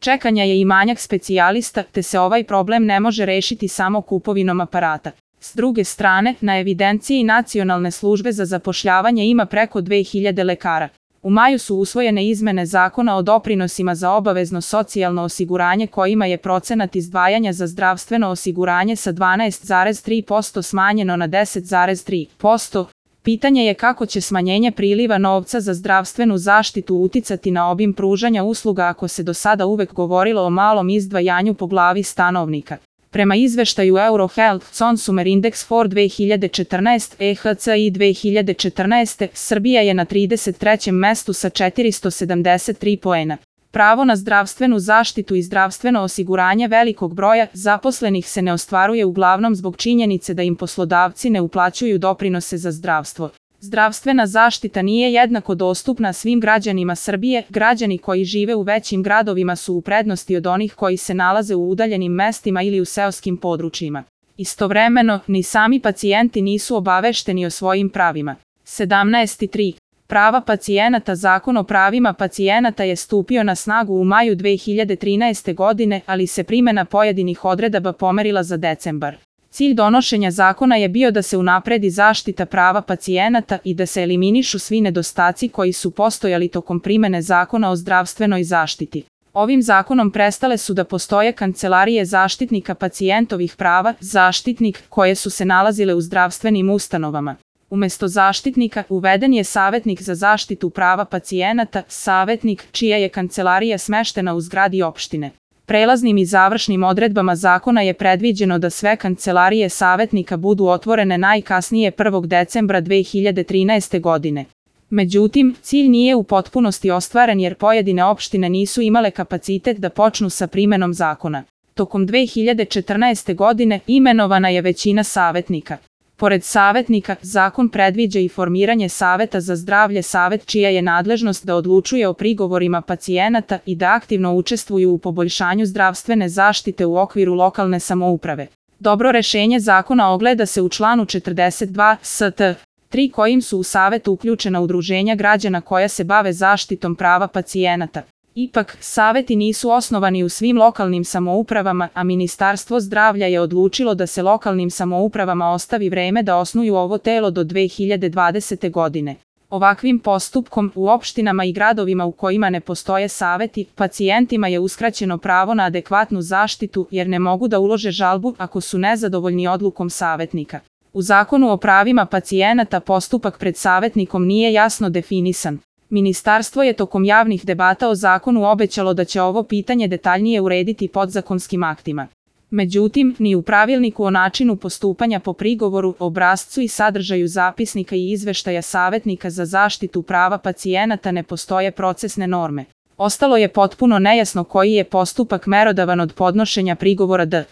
čekanja je i manjak specijalista, te se ovaj problem ne može rešiti samo kupovinom aparata. S druge strane, na evidenciji Nacionalne službe za zapošljavanje ima preko 2000 lekara. U maju su usvojene izmene Zakona o doprinosima za obavezno socijalno osiguranje kojima je procenat izdvajanja za zdravstveno osiguranje sa 12,3% smanjeno na 10,3%. Pitanje je kako će smanjenje priliva novca za zdravstvenu zaštitu uticati na obim pružanja usluga ako se do sada uvek govorilo o malom izdvajanju po glavi stanovnika. Prema izveštaju Eurohealth Consumer Index for 2014 EHCI 2014, Srbija je na 33. mestu sa 473 poena. Pravo na zdravstvenu zaštitu i zdravstveno osiguranje velikog broja zaposlenih se ne ostvaruje uglavnom zbog činjenice da im poslodavci ne uplaćuju doprinose za zdravstvo. Zdravstvena zaštita nije jednako dostupna svim građanima Srbije. Građani koji žive u većim gradovima su u prednosti od onih koji se nalaze u udaljenim mestima ili u seoskim područjima. Istovremeno, ni sami pacijenti nisu obavešteni o svojim pravima. 17.3. Prava pacijenata. Zakon o pravima pacijenata je stupio na snagu u maju 2013. godine, ali se primena pojedinih odredaba pomerila za decembar. Cilj donošenja zakona je bio da se unapredi zaštita prava pacijenata i da se eliminišu svi nedostaci koji su postojali tokom primene Zakona o zdravstvenoj zaštiti. Ovim zakonom prestale su da postoje kancelarije zaštitnika pacijentovih prava, zaštitnik, koje su se nalazile u zdravstvenim ustanovama. Umesto zaštitnika, uveden je savetnik za zaštitu prava pacijenata, savetnik, čija je kancelarija smeštena u zgradi opštine. Prelaznim i završnim odredbama zakona je predviđeno da sve kancelarije savetnika budu otvorene najkasnije 1. decembra 2013. godine. Međutim, cilj nije u potpunosti ostvaren jer pojedine opštine nisu imale kapacitet da počnu sa primenom zakona. Tokom 2014. godine imenovana je većina savetnika. Pored savetnika, zakon predviđa i formiranje Saveta za zdravlje, savet čija je nadležnost da odlučuje o prigovorima pacijenata i da aktivno učestvuju u poboljšanju zdravstvene zaštite u okviru lokalne samouprave. Dobro rešenje zakona ogleda se u članu 42 st. 3 kojim su u savetu uključena udruženja građana koja se bave zaštitom prava pacijenata. Ipak, saveti nisu osnovani u svim lokalnim samoupravama, a Ministarstvo zdravlja je odlučilo da se lokalnim samoupravama ostavi vreme da osnuju ovo telo do 2020. godine. Ovakvim postupkom, u opštinama i gradovima u kojima ne postoje saveti, pacijentima je uskraćeno pravo na adekvatnu zaštitu jer ne mogu da ulože žalbu ako su nezadovoljni odlukom savetnika. U Zakonu o pravima pacijenata postupak pred savetnikom nije jasno definisan. Ministarstvo je tokom javnih debata o zakonu obećalo da će ovo pitanje detaljnije urediti podzakonskim aktima. Međutim, ni u pravilniku o načinu postupanja po prigovoru, obrascu i sadržaju zapisnika i izveštaja savetnika za zaštitu prava pacijenata ne postoje procesne norme. Ostalo je potpuno nejasno koji je postupak merodavan od podnošenja prigovora do